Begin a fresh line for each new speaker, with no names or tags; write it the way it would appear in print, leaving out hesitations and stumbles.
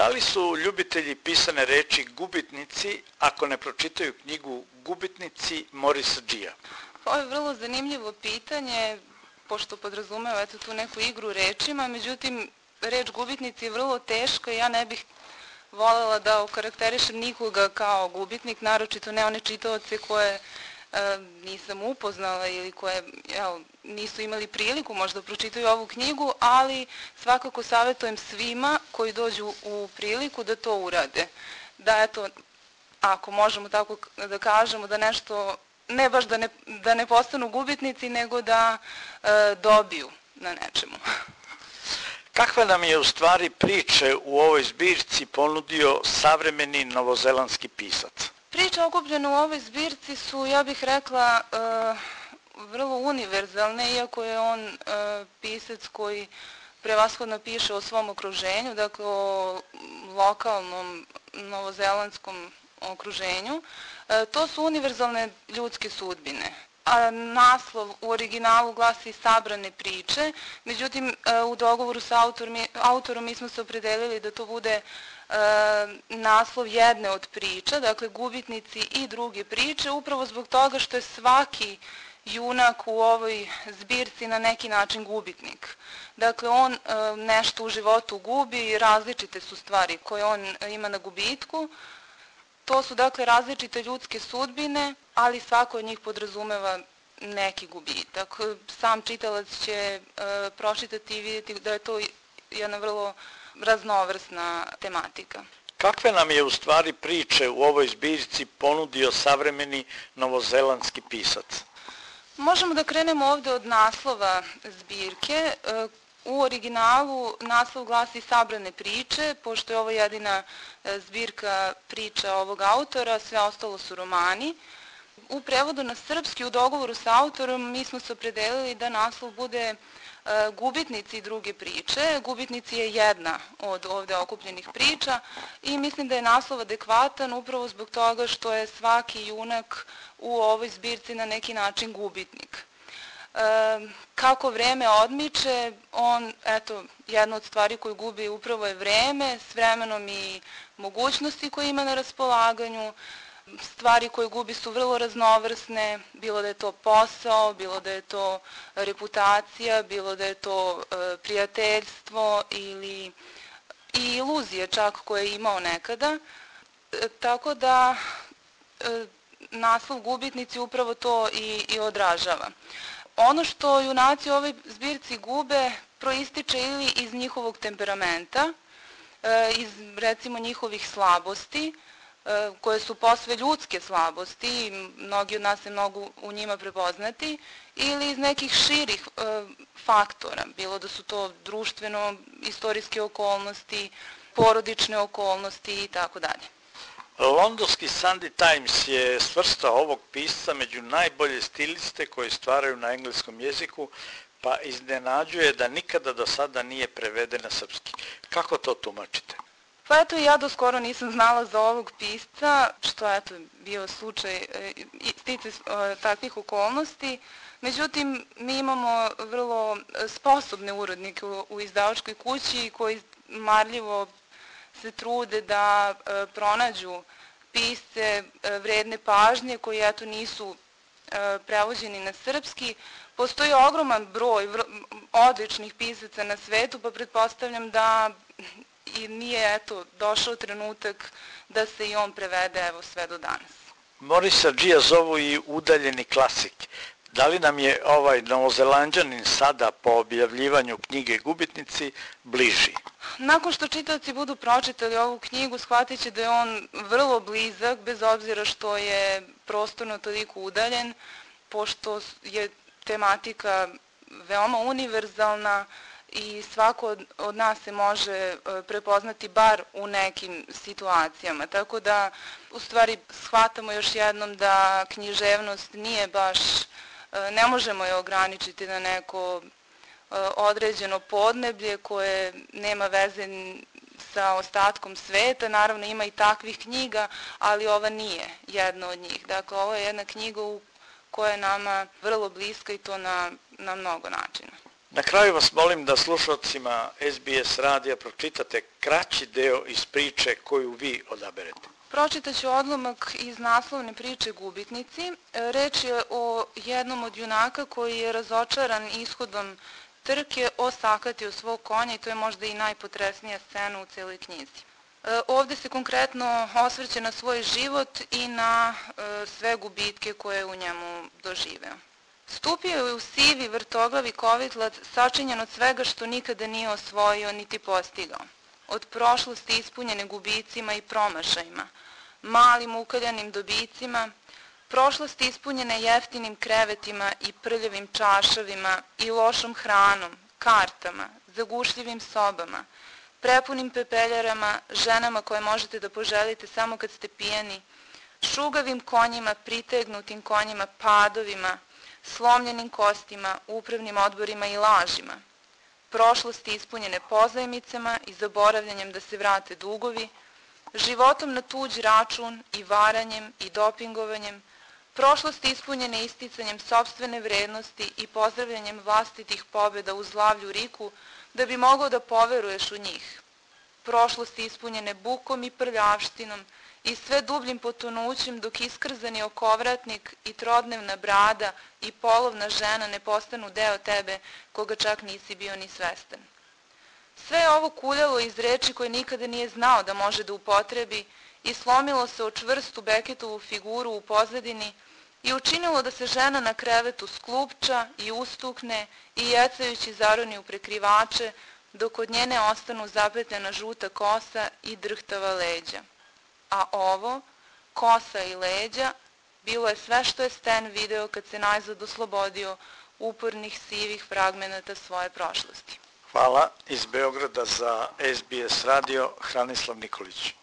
Da li su ljubitelji pisane reči gubitnici ako ne pročitaju knjigu Gubitnici Morisa Džija?
Ovo je vrlo zanimljivo pitanje, pošto podrazumeva tu neku igru rečima, međutim, reč gubitnici je vrlo teška i ja ne bih voljela da okarakterišem nikoga kao gubitnik, naročito ne one čitaoce koje nisam upoznala ili koje nisu imali priliku možda pročitaju ovu knjigu, ali svakako savjetujem svima koji dođu u priliku da to urade. Da ako možemo tako da kažemo, da nešto, ne baš da ne postanu gubitnici, nego da dobiju na nečemu.
Kakve nam je u stvari priče u ovoj zbirci ponudio savremeni novozelandski pisac?
Priče okupljene u ovoj zbirci su, ja bih rekla, vrlo univerzalne, iako je on pisac koji prevashodno piše o svom okruženju, dakle o lokalnom novozelandskom okruženju. To su univerzalne ljudske sudbine. A naslov u originalu glasi Sabrane priče, međutim u dogovoru sa autorom mi smo se opredelili da to bude naslov jedne od priča, dakle Gubitnici i druge priče, upravo zbog toga što je svaki junak u ovoj zbirci na neki način gubitnik. Dakle, on nešto u životu gubi i različite su stvari koje on ima na gubitku. To su dakle različite ljudske sudbine, ali svako od njih podrazumeva neki gubitak. Sam čitalac će pročitati i vidjeti da je to jedna vrlo raznovrsna tematika.
Kakve nam je u stvari priče u ovoj zbirci ponudio savremeni novozelandski pisac?
Možemo da krenemo ovde od naslova zbirke. U originalu naslov glasi Sabrane priče, pošto je ovo jedina zbirka priča ovog autora, sve ostalo su romani. U prevodu na srpski, u dogovoru sa autorom, mi smo se opredelili da naslov bude Gubitnici i druge priče. Gubitnici je jedna od ovde okupljenih priča i mislim da je naslov adekvatan upravo zbog toga što je svaki junak u ovoj zbirci na neki način gubitnik. Kako vreme odmiče, jedna od stvari koju gubi upravo je vreme, s vremenom i mogućnosti koje ima na raspolaganju. Stvari koje gubi su vrlo raznovrsne, bilo da je to posao, bilo da je to reputacija, bilo da je to prijateljstvo ili i iluzije čak koje je imao nekada. Tako da naslov Gubitnici upravo to i odražava. Ono što junaci u ovoj zbirci gube proističe ili iz njihovog temperamenta, iz recimo njihovih slabosti, koje su posve ljudske slabosti i mnogi od nas se mogu u njima prepoznati, ili iz nekih širih faktora, bilo da su to društveno, istorijske okolnosti, porodične okolnosti i tako dalje.
Londonski Sunday Times je svrstao ovog pisca među najbolje stiliste koji stvaraju na engleskom jeziku, pa iznenađuje da nikada do sada nije preveden na srpski. Kako to tumačite?
Pa eto, ja do skoro nisam znala za ovog pisca, što je bio slučaj stice takvih okolnosti. Međutim, mi imamo vrlo sposobne urednike u izdavačkoj kući koji marljivo se trude da pronađu pisce vredne pažnje koji nisu prevođeni na srpski. Postoji ogroman broj odličnih pisaca na svetu, pa pretpostavljam da i nije došao trenutak da se i on prevede sve do danas.
Morisa Džija zovu i udaljeni klasik. Da li nam je ovaj Novozelanđanin sada po objavljivanju knjige Gubitnici bliži?
Nakon što čitaoci budu pročitali ovu knjigu, shvatit će da je on vrlo blizak, bez obzira što je prostorno toliko udaljen, pošto je tematika veoma univerzalna i svako od nas se može prepoznati bar u nekim situacijama. Tako da, u stvari, shvatamo još jednom da književnost nije baš, ne možemo je ograničiti na neko određeno podneblje koje nema veze sa ostatkom sveta. Naravno, ima i takvih knjiga, ali ova nije jedna od njih. Dakle, ovo je jedna knjiga koja je nama vrlo bliska i to na mnogo načina.
Na kraju vas molim da slušalcima SBS radija pročitate kraći deo iz priče koju vi odaberete.
Pročitat ću odlomak iz naslovne priče Gubitnici. Reč je o jednom od junaka koji je razočaran ishodom trke osakatio svog konja i to je možda i najpotresnija scena u celoj knjizi. Ovde se konkretno osvrće na svoj život i na sve gubitke koje je u njemu doživeo. Stupio je u sivi vrtoglavi kovitlac sačinjen od svega što nikada nije osvojio niti postigao. Od prošlosti ispunjene gubicima i promašajima, malim ukaljanim dobicima, prošlosti ispunjene jeftinim krevetima i prljavim čašavima i lošom hranom, kartama, zagušljivim sobama, prepunim pepeljarama, ženama koje možete da poželite samo kad ste pijani, šugavim konjima, pritegnutim konjima, padovima, slomljenim kostima, upravnim odborima i lažima, prošlosti ispunjene pozajmicama i zaboravljanjem da se vrate dugovi, životom na tuđ račun i varanjem i dopingovanjem, prošlosti ispunjene isticanjem sopstvene vrednosti i pozdravljanjem vlastitih pobjeda u zlavlju riku da bi mogao da poveruješ u njih, prošlosti ispunjene bukom i prljavštinom i sve dubljim potonućem dok iskrzani okovratnik i trodnevna brada i polovna žena ne postanu deo tebe koga čak nisi bio ni svestan. Sve je ovo kuljalo iz reči koje nikada nije znao da može da upotrebi i slomilo se o čvrstu Beketovu figuru u pozadini i učinilo da se žena na krevetu sklupča i ustukne i jecajući zaroni u prekrivače dok od njene ostanu zapetljena žuta kosa i drhtava leđa. A ovo, kosa i leđa, bilo je sve što je Stan video kad se najzad oslobodio upornih sivih fragmenata svoje prošlosti.
Hvala. Iz Beograda za SBS radio Hranislav Nikolić.